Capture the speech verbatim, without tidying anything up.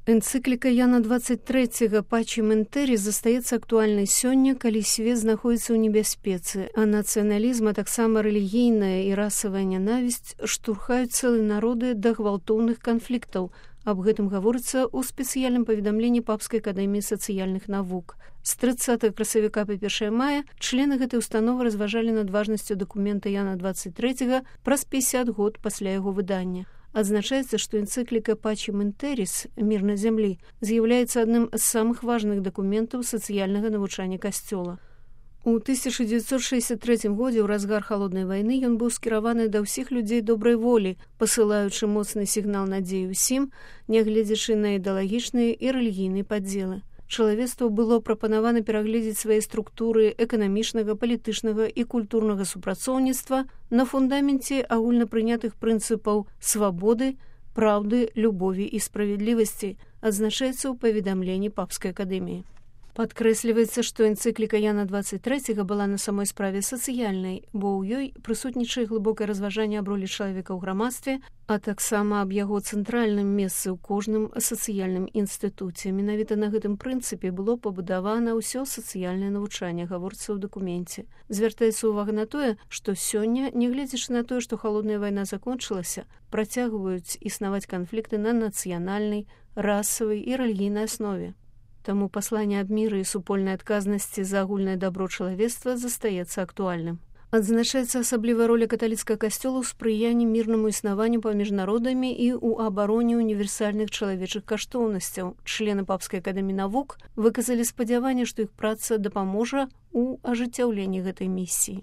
Энцыкліка Яна двадцать трэцяга «Пачем ин террис» застаецца актуальнай сёння, калі свет знаходзіцца ў небяспецы, а нацыяналізм, а таксама рэлігійная і расавая нянавісць штурхаюць цэлыя народы да гвалтоўных канфліктаў. Аб гэтым гаворыцца ў спецыяльным паведамленні Папскай акадэміі сацыяльных навук. З трыццатага красавіка па першае мая члены гэтай установы разважалі над важнасцю дакумента Яна двадцать трэцяга праз пятьдесят год пасля яго выдання. Адзначаецца, што энцыкліка «Пачем ин террис» «Мир на зямлі» з'яўляецца адным з самых важных дакументаў сацыяльнага навучання касцёла. У тысяча дзевяцьсот шэсцьдзясят трэцім годзе ў разгар халоднай вайны ён быў скіраваны да ўсіх людзей добрай волі, пасылаючы моцны сігнал надзеі ўсім, нягледзячы на ідэалагічныя і рэлігійныя падзелы. Чалавецтву было прапанавана перагледзець свае структуры эканамічнага, палітычнага і культурнага супрацоўніцтва на фундаменце агульнапрынятых прынцыпаў свабоды, праўды, любові і справядлівасці, адзначаецца ў паведамленні Папскай акадэміі. Падкрэсліваецца, што энцыкліка Яна двадцать трэцяга была на самой справе сацыяльнай, бо ў ёй прысутнічае глыбокае разважанне аб ролі чалавека ў грамадстве, а таксама аб яго цэнтральным месцы ў кожным сацыяльным інстытуце. Менавіта на гэтым прынцыпе было пабудавана ўсё сацыяльнае навучанне, гаворыцца ў дакуменце. Звяртаецца ўвага на тое, што сёння, нягледзячы на тое, што халодная вайна закончылася, працягваюць існаваць канфлікты на нацыянальнай, расавай і рэлігійнай аснове. Таму пасланне аб міры і супольнай адказнасці за агульнае дабро чалавецтва застаецца актуальным. Адзначаецца асаблівая роля каталіцкага касцёла ў спрыянні мірнаму існаванню паміж народамі і ў абароне універсальных чалавечых каштоўнасцяў. Члены Папскай акадэміі навук выказалі спадзяванне, што іх праца дапаможа ў ажыццяўленні гэтай місіі.